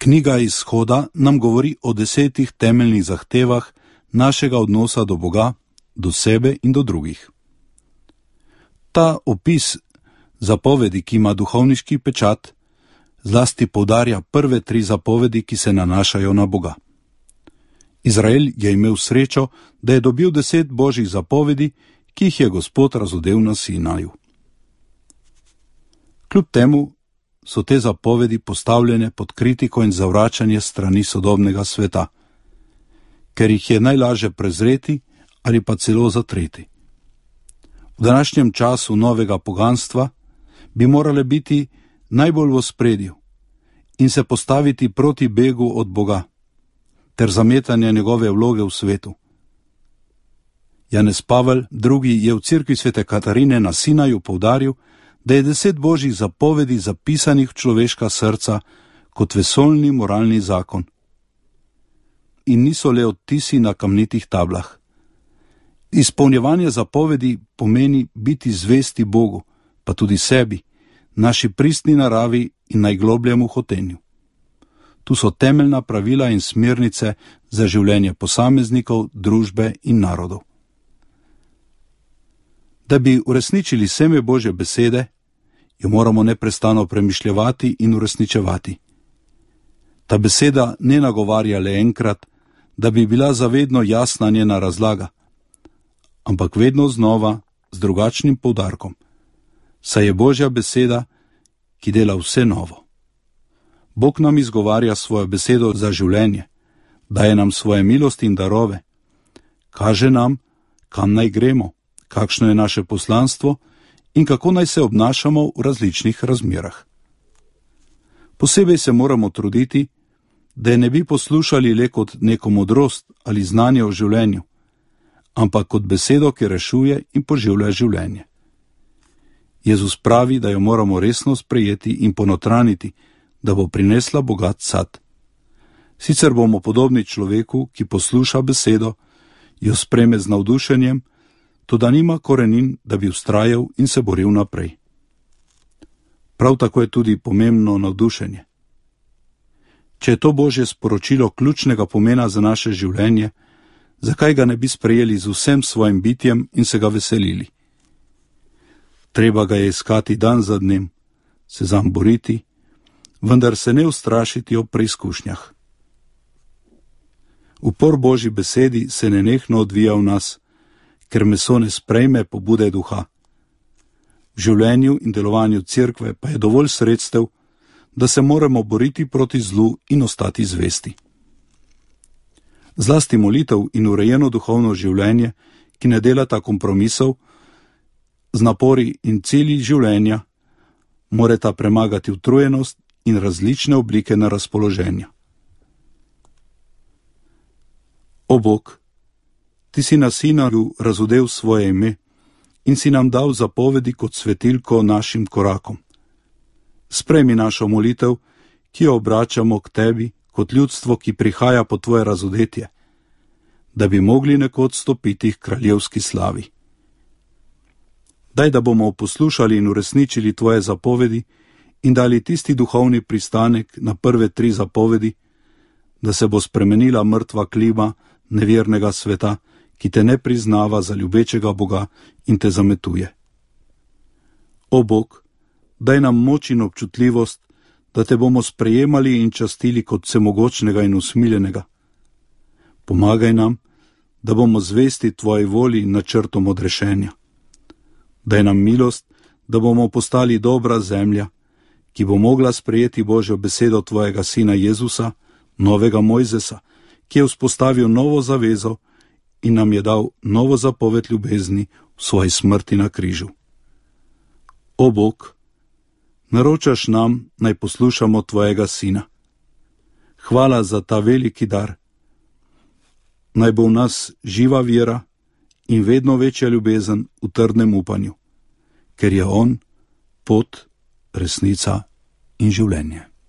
Knjiga Izhoda nam govori o 10 temeljnih zahtevah našega odnosa do Boga, do sebe in do drugih. Ta opis zapovedi, ki ima duhovniški pečat, zlasti poudarja prve 3 zapovedi, ki se nanašajo na Boga. Izrael je imel srečo, da je dobil 10 božjih zapovedi, ki jih je Gospod razodel na Sinaju. Kljub temu so te zapovedi postavljene pod kritiko in zavračanje strani sodobnega sveta, ker jih je najlažje prezreti ali pa celo zatreti. V današnjem času novega poganstva bi morale biti najbolj v ospredju in se postaviti proti begu od Boga ter zametanje njegove vloge v svetu. Janez Pavel II. Je v cerkvi svete Katarine na Sinaju poudaril, da je 10 božjih zapovedi zapisanih v človeška srca kot vesoljni moralni zakon. In niso le odtisi na kamnitih tablah. Izpolnjevanje zapovedi pomeni biti zvesti Bogu, pa tudi sebi, naši pristni naravi in najglobljemu hotenju. Tu so temeljna pravila in smernice za življenje posameznikov, družbe in narodov. Da bi uresničili seme Božje besede, jo moramo neprestano premišljevati in uresničevati. Ta beseda ne nagovarja le enkrat, da bi bila zavedno jasna njena razlaga, ampak vedno znova z drugačnim poudarkom, saj je Božja beseda, ki dela vse novo. Bog nam izgovarja svojo besedo za življenje, daje nam svoje milosti in darove, kaže nam, kam naj gremo, kakšno je naše poslanstvo in kako naj se obnašamo v različnih razmerah. Posebej se moramo truditi, da je ne bi poslušali le kot neko modrost ali znanje o življenju, ampak kot besedo, ki rešuje in poživlja življenje. Jezus pravi, da jo moramo resno sprejeti in ponotraniti, da bo prinesla bogat sad. Sicer bomo podobni človeku, ki posluša besedo, jo sprejme z navdušenjem, toda nima korenin, da bi vztrajal in se boril naprej. Prav tako je tudi pomembno navdušenje. Če je to Božje sporočilo ključnega pomena za naše življenje, zakaj ga ne bi sprejeli z vsem svojim bitjem in se ga veselili? Treba ga je iskati dan za dnem, se zanj boriti, vendar se ne ustrašiti ob preizkušnjah. Upor Božji besedi se nenehno odvija v nas, ker meso ne sprejme pobude duha. V življenju in delovanju cerkve pa je dovolj sredstev, da se moramo boriti proti zlu in ostati zvesti. Zlasti molitev in urejeno duhovno življenje, ki ne delata kompromisov, z napori in cilji življenja, morata premagati utrujenost in različne oblike nerazpoloženja. O Bog, Ti si na Sinaju razodel svoje ime in si nam dal zapovedi kot svetilko našim korakom. Sprejmi našo molitev, ki jo obračamo k Tebi kot ljudstvo, ki prihaja po Tvoje razodetje, da bi mogli nekoč stopiti k kraljevski slavi. Daj, da bomo poslušali in uresničili Tvoje zapovedi in dali tisti duhovni pristanek na prve 3 zapovedi, da se bo spremenila mrtva klima nevernega sveta, ki te ne priznava za ljubečega Boga in te zametuje. O Bog, daj nam moč in občutljivost, da te bomo sprejemali in častili kot vsemogočnega in usmiljenega. Pomagaj nam, da bomo zvesti Tvoji volji in načrtom odrešenja. Daj nam milost, da bomo postali dobra zemlja, ki bo mogla sprejeti Božjo besedo Tvojega Sina Jezusa, novega Mojzesa, ki je vzpostavil novo zavezo in nam je dal novo zapoved ljubezni v svoji smrti na križu. O Bog, naročaš nam, naj poslušamo Tvojega Sina. Hvala za ta veliki dar. Naj bo v nas živa vera in vedno večja ljubezen v trdnem upanju, ker je On pot, resnica in življenje.